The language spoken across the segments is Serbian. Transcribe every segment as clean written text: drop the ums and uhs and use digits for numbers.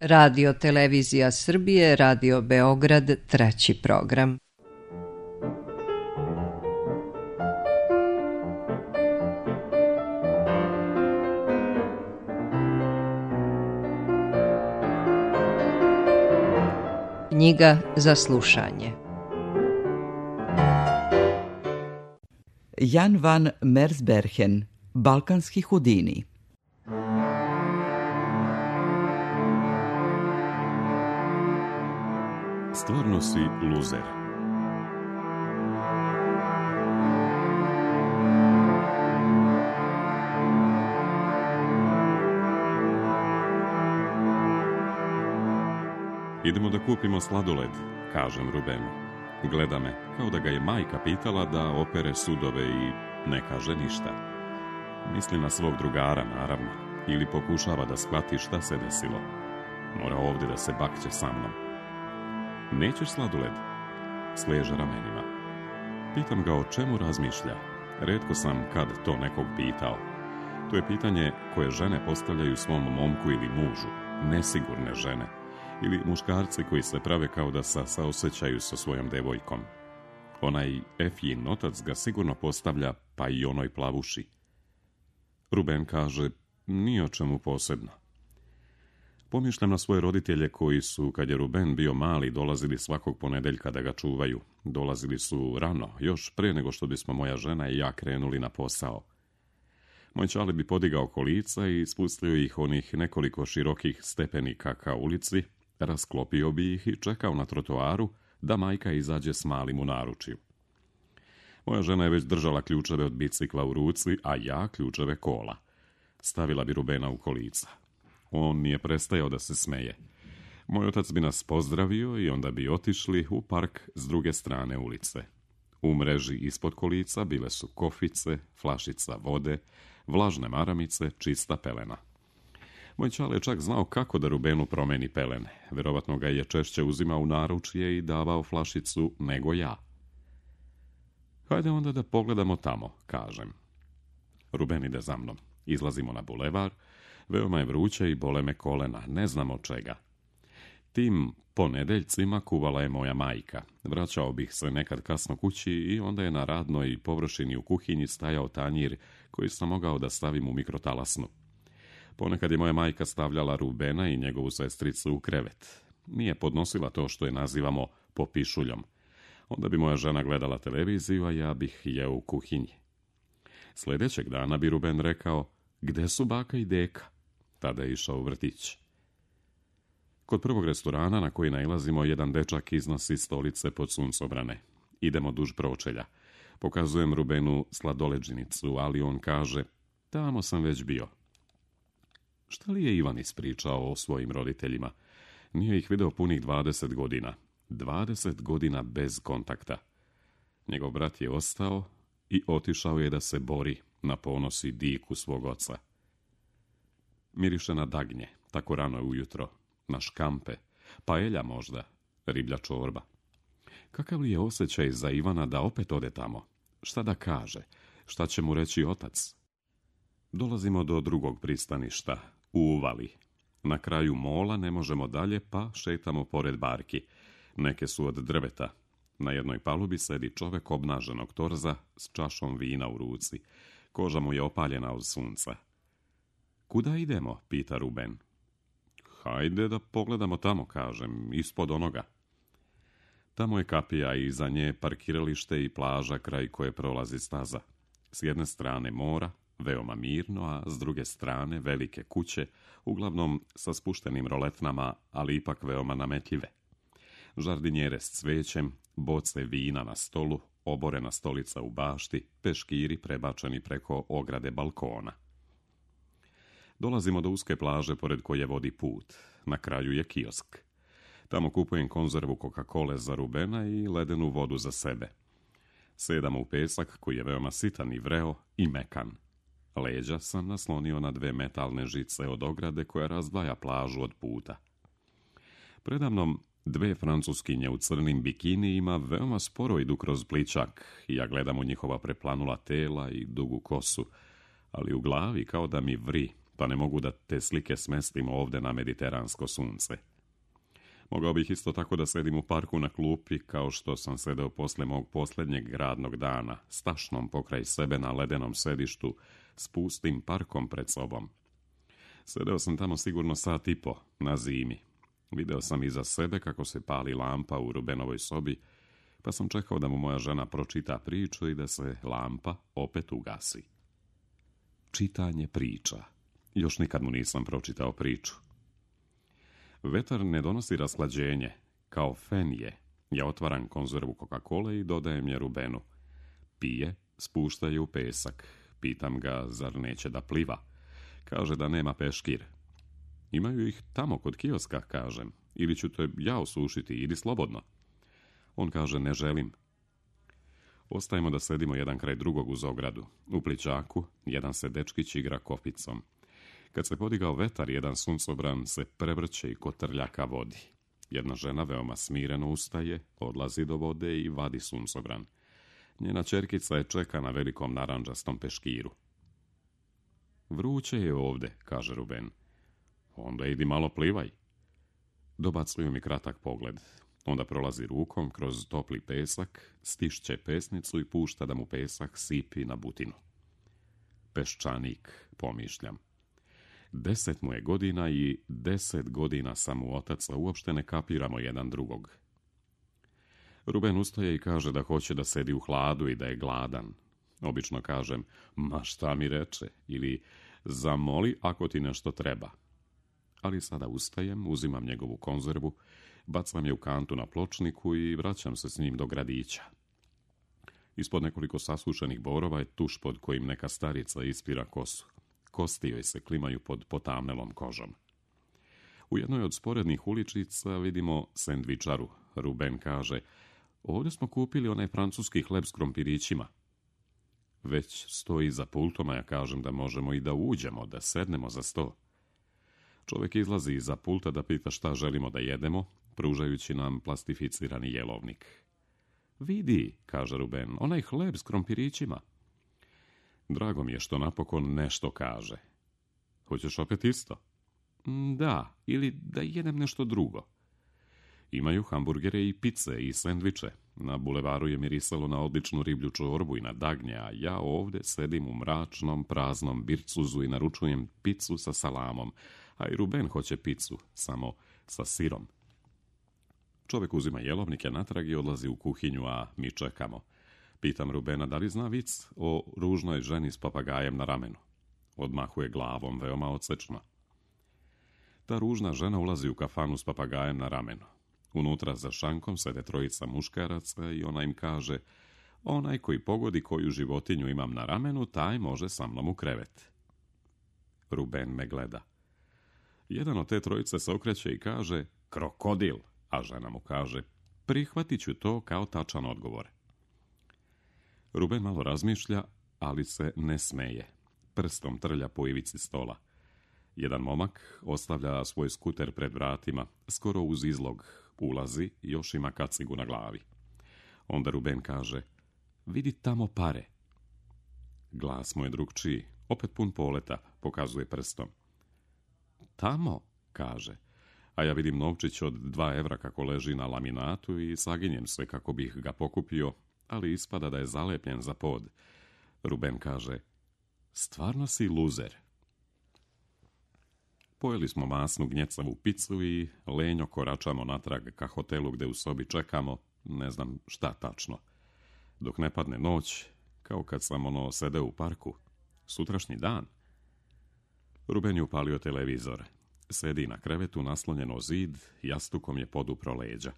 Radio Televizija Srbije, Radio Beograd, 3. program. Knjiga za slušanje. Jan van Mersbergen, Balkanski Houdini. Stvarno si luzer. Idemo da kupimo sladoled, kažem Rubenu. Gleda me, kao da ga je majka pitala da opere sudove i ne kaže ništa. Misli na svog drugara, naravno, ili pokušava da shvati šta se desilo. Mora ovdje da se bakće sa mnom. Nećeš sladoled? Sleže ramenima. Pitam ga o čemu razmišlja. Retko sam kad to nekog pitao. To je pitanje koje žene postavljaju svom momku ili mužu, nesigurne žene. Ili muškarci koji se prave kao da se saosećaju sa svojom devojkom. Onaj Efjin otac ga sigurno postavlja, pa i onoj plavuši. Ruben kaže, ni o čemu posebno. Pomišljam na svoje roditelje koji su, kad je Ruben bio mali, dolazili svakog ponedeljka da ga čuvaju. Dolazili su rano, još pre nego što bismo moja žena i ja krenuli na posao. Moj čale bi podigao kolica i spustio ih onih nekoliko širokih stepenika ka ulici, rasklopio bi ih i čekao na trotoaru da majka izađe s malim u naručju. Moja žena je već držala ključeve od bicikla u ruci, a ja ključeve kola. Stavila bi Rubena u kolica. On nije prestajao da se smeje. Moj otac bi nas pozdravio i onda bi otišli u park s druge strane ulice. U mreži ispod kolica bile su kofice, flašica vode, vlažne maramice, čista pelena. Moj čale je čak znao kako da Rubenu promeni pelene. Verovatno ga je češće uzimao u naručje i davao flašicu nego ja. Hajde onda da pogledamo tamo, kažem. Ruben ide za mnom. Izlazimo na bulevar. Veoma je vruće i bole me kolena, ne znam od čega. Tim ponedeljcima kuvala je moja majka. Vraćao bih se nekad kasno kući i onda je na radnoj površini u kuhinji stajao tanjir koji sam mogao da stavim u mikrotalasnu. Ponekad je moja majka stavljala Rubena i njegovu sestricu u krevet. Nije podnosila to što je nazivamo popišuljom. Onda bi moja žena gledala televiziju, a ja bih jeo u kuhinji. Sljedećeg dana bi Ruben rekao, gde su baka i deka? Tada je išao u vrtić. Kod prvog restorana na koji nailazimo, jedan dečak iznosi stolice pod suncobrane. Idemo duž pročelja. Pokazujem Rubenu sladoleđinicu, ali on kaže, tamo sam već bio. Šta li je Ivan ispričao o svojim roditeljima? Nije ih video punih 20 godina. 20 godina bez kontakta. Njegov brat je ostao i otišao je da se bori na ponos i diku svog oca. Miriše na dagnje, tako rano ujutro, na škampe, paelja možda, riblja čorba. Kakav li je osjećaj za Ivana da opet ode tamo? Šta da kaže? Šta će mu reći otac? Dolazimo do drugog pristaništa, u uvali. Na kraju mola ne možemo dalje, pa šetamo pored barki. Neke su od drveta. Na jednoj palubi sedi čovek obnaženog torza s čašom vina u ruci. Koža mu je opaljena od sunca. Kuda idemo? Pita Ruben. Hajde da pogledamo tamo, kažem, ispod onoga. Tamo je kapija i iza nje parkiralište i plaža kraj koje prolazi staza. S jedne strane mora, veoma mirno, a s druge strane velike kuće, uglavnom sa spuštenim roletnama, ali ipak veoma nametljive. Žardinjere s cvećem, boce vina na stolu, oborena stolica u bašti, peškiri prebačeni preko ograde balkona. Dolazimo do uske plaže pored koje vodi put. Na kraju je kiosk. Tamo kupujem konzervu Coca-Cole za Rubena i ledenu vodu za sebe. Sedamo u pesak koji je veoma sitan i vreo i mekan. Leđa sam naslonio na 2 metalne žice od ograde koja razdvaja plažu od puta. Predamnom 2 francuskinje u crnim bikinijima veoma sporo idu kroz pličak i ja gledam u njihova preplanula tela i dugu kosu, ali u glavi kao da mi vri, pa ne mogu da te slike smestim ovde na mediteransko sunce. Mogao bih isto tako da sedim u parku na klupi, kao što sam sedeo posle mog posljednjeg radnog dana, s tašnom pokraj sebe na ledenom sedištu, s pustim parkom pred sobom. Sedeo sam tamo sigurno 1.5 sata na zimi. Video sam iza sebe kako se pali lampa u Rubenovoj sobi, pa sam čekao da mu moja žena pročita priču i da se lampa opet ugasi. Čitanje priča. Još nikad mu nisam pročitao priču. Vetar ne donosi rashlađenje, kao fen je. Ja otvaram konzervu Coca-Cole i dodajem je Rubenu. Pije, spušta je u pesak. Pitam ga, zar neće da pliva? Kaže da nema peškir. Imaju ih tamo kod kioska, kažem. Ili ću te ja osušiti, idi slobodno. On kaže, ne želim. Ostajemo da sedimo jedan kraj drugog uz ogradu. U plićaku jedan se dečkić igra kopicom. Kad se podigao vetar, jedan suncobran se prevrće i kotrlja ka vodi. Jedna žena veoma smireno ustaje, odlazi do vode i vadi suncobran. Njena ćerkica je čeka na velikom narandžastom peškiru. Vruće je ovde, kaže Ruben. Onda idi malo plivaj. Dobacuju mi kratak pogled. Onda prolazi rukom kroz topli pesak, stišće pesnicu i pušta da mu pesak sipi na butinu. Peščanik, pomišljam. 10 mu je godina i 10 godina sam mu otac, a uopšte ne kapiramo jedan drugog. Ruben ustaje i kaže da hoće da sedi u hladu i da je gladan. Obično kažem, ma šta mi reče, ili zamoli ako ti nešto treba. Ali sada ustajem, uzimam njegovu konzervu, bacam je u kantu na pločniku i vraćam se s njim do gradića. Ispod nekoliko sasušenih borova je tuš pod kojim neka starica ispira kosu. Kosti joj se klimaju pod potamnelom kožom. U jednoj od sporednih uličica vidimo sendvičaru. Ruben kaže, ovdje smo kupili onaj francuski hleb s krompirićima. Već stoji za pultom, a ja kažem da možemo i da uđemo, da sednemo za sto. Čovjek izlazi iza pulta da pita šta želimo da jedemo, pružajući nam plastificirani jelovnik. Vidi, kaže Ruben, onaj hleb s krompirićima. Drago mi je što napokon nešto kaže. Hoćeš opet isto? Da, ili da jedem nešto drugo. Imaju hamburgere i pice i sendviče. Na bulevaru je mirisalo na odličnu riblju čorbu i na dagnje, a ja ovdje sedim u mračnom, praznom bircuzu i naručujem picu sa salamom, a i Ruben hoće picu, samo sa sirom. Čovjek uzima jelovnike natrag i odlazi u kuhinju, a mi čekamo. Pitam Rubena da li zna vic o ružnoj ženi s papagajem na ramenu. Odmahuje glavom veoma odsečno. Ta ružna žena ulazi u kafanu s papagajem na ramenu. Unutra za šankom sede 3 muškaraca i ona im kaže, onaj koji pogodi koju životinju imam na ramenu, taj može sa mnom u krevet. Ruben me gleda. Jedan od te 3 se okreće i kaže, krokodil, a žena mu kaže, prihvatit ću to kao tačan odgovor. Ruben malo razmišlja, ali se ne smeje. Prstom trlja po ivici stola. Jedan momak ostavlja svoj skuter pred vratima, skoro uz izlog, ulazi i još ima kacigu na glavi. Onda Ruben kaže, vidi tamo pare. Glas mu je drugčiji, opet pun poleta, pokazuje prstom. Tamo, kaže, a ja vidim novčić od 2 evra kako leži na laminatu i saginjem se kako bih ga pokupio, ali ispada da je zalepljen za pod. Ruben kaže, stvarno si luzer. Pojeli smo masnu gnjecavu picu i lenjo koračamo natrag ka hotelu gde u sobi čekamo, ne znam šta tačno. Dok ne padne noć, kao kad sam sedeo u parku. Sutrašnji dan. Ruben je upalio televizor. Sedi na krevetu naslonjeno zid, jastukom je podupro leđa.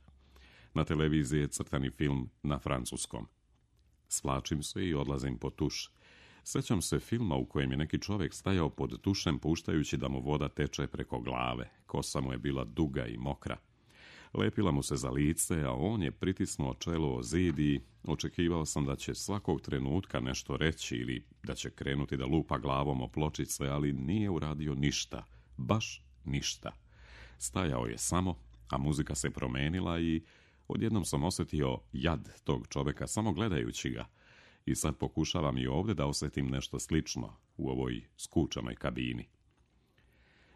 Na televiziji je crtani film na francuskom. Svlačim se i odlazim po tuš. Sjećam se filma u kojem je neki čovjek stajao pod tušem puštajući da mu voda teče preko glave. Kosa mu je bila duga i mokra. Lepila mu se za lice, a on je pritisnuo čelo o zid i očekivao sam da će svakog trenutka nešto reći ili da će krenuti da lupa glavom o pločice, ali nije uradio ništa. Baš ništa. Stajao je samo, a muzika se promenila i odjednom sam osjetio jad tog čovjeka samo gledajući ga. I sad pokušavam i ovdje da osjetim nešto slično u ovoj skučanoj kabini.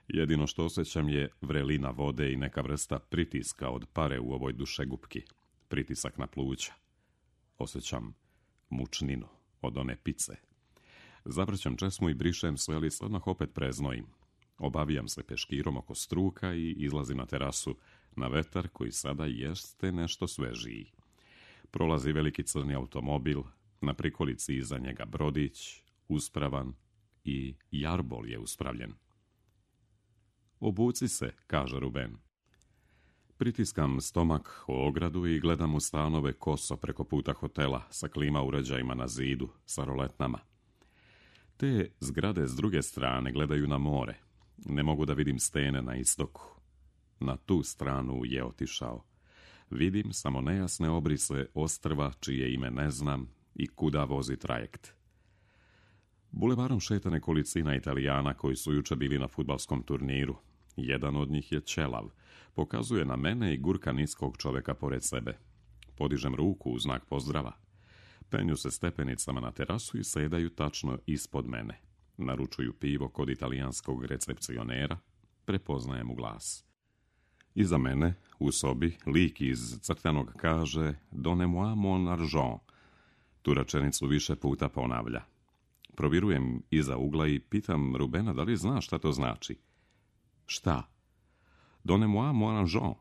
Jedino što osjećam je vrelina vode i neka vrsta pritiska od pare u ovoj dušegupki. Pritisak na pluća. Osjećam mučninu od one pice. Zavrćam česmu i brišem sve, ali se odmah opet preznojim. Obavijam se peškirom oko struka i izlazim na terasu na vetar koji sada jeste nešto svežiji. Prolazi veliki crni automobil, na prikolici iza njega brodić, uspravan i jarbol je uspravljen. Obuci se, kaže Ruben. Pritiskam stomak o ogradu i gledam u stanove koso preko puta hotela sa klima uređajima na zidu, sa roletnama. Te zgrade s druge strane gledaju na more. Ne mogu da vidim stene na istoku. Na tu stranu je otišao. Vidim samo nejasne obrise ostrva čije ime ne znam i kuda vozi trajekt. Bulevarom šeta nekolicina Italijana koji su juče bili na fudbalskom turniru. Jedan od njih je ćelav. Pokazuje na mene i gurka niskog čovjeka pored sebe. Podižem ruku u znak pozdrava. Penju se stepenicama na terasu i sedaju tačno ispod mene. Naručuju pivo kod italijanskog recepcionera. Prepoznajem u glas. Iza mene, u sobi, lik iz crtanog kaže "Donnez-moi mon argent". Tu rečenicu više puta ponavlja. Provirujem iza ugla i pitam Rubena da li zna šta to znači. Šta? "Donnez-moi mon argent".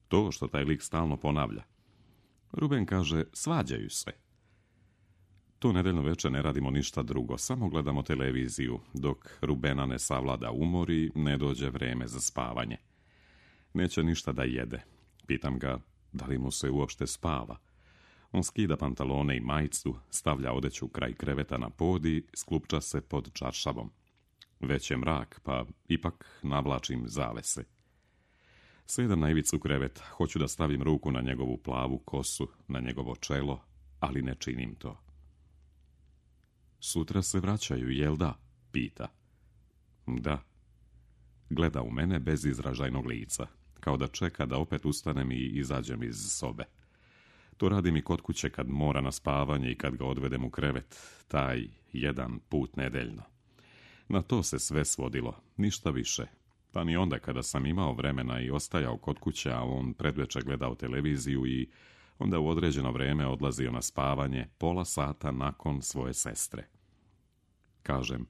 To što taj lik stalno ponavlja. Ruben kaže, svađaju se. To nedeljno večer ne radimo ništa drugo, samo gledamo televiziju, dok Rubena ne savlada umor i ne dođe vreme za spavanje. Neće ništa da jede. Pitam ga, da li mu se uopšte spava. On skida pantalone i majicu, stavlja odeću kraj kreveta na pod i sklupča se pod čaršavom. Već je mrak, pa ipak navlačim zavese. Sedam na ivicu kreveta, hoću da stavim ruku na njegovu plavu kosu, na njegovo čelo, ali ne činim to. Sutra se vraćaju, jel da? Pita. Da. Gleda u mene bez izražajnog lica, kao da čeka da opet ustanem i izađem iz sobe. To radim i kod kuće kad mora na spavanje i kad ga odvedem u krevet, taj jedan put nedeljno. Na to se sve svodilo, ništa više. Pa ni onda kada sam imao vremena i ostajao kod kuće, a on predveče gledao televiziju i onda u određeno vreme odlazio na spavanje pola sata nakon svoje sestre. Kažem,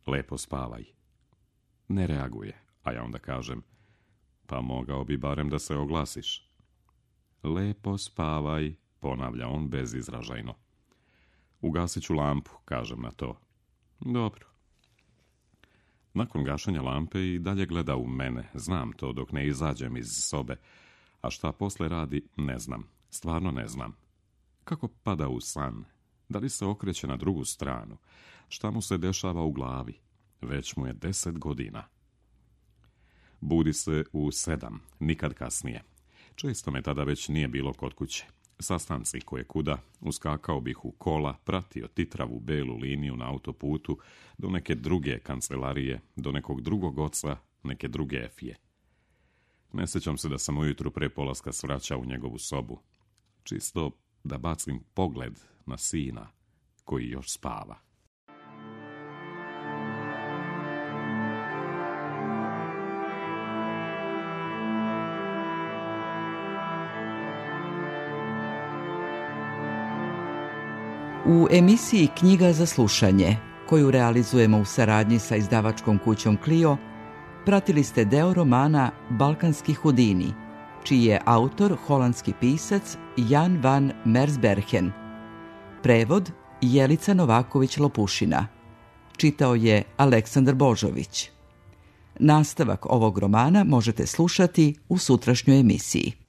lepo spavaj. Ne reaguje, a ja onda kažem, pa mogao bi barem da se oglasiš. Lepo spavaj, ponavlja on bezizražajno. Ugasit ću lampu, kažem na to. Dobro. Nakon gašenja lampe i dalje gleda u mene, znam to dok ne izađem iz sobe, a šta posle radi ne znam, stvarno ne znam. Kako pada u san? Da li se okreće na drugu stranu? Šta mu se dešava u glavi? Već mu je 10 godina. Budi se u 7, nikad kasnije. Često me tada već nije bilo kod kuće. Sastanci koje kuda, uskakao bih u kola, pratio titravu belu liniju na autoputu do neke druge kancelarije, do nekog drugog oca, neke druge efije. Ne sjećam se da sam ujutru pre polaska svraćao u njegovu sobu. Čisto da bacim pogled na sina koji još spava. U emisiji Knjiga za slušanje, koju realizujemo u saradnji sa izdavačkom kućom Clio, pratili ste deo romana Balkanski Hudini, čiji je autor holandski pisac Jan van Mersbergen. Prevod Jelica Novaković-Lopušina. Čitao je Aleksandar Božović. Nastavak ovog romana možete slušati u sutrašnjoj emisiji.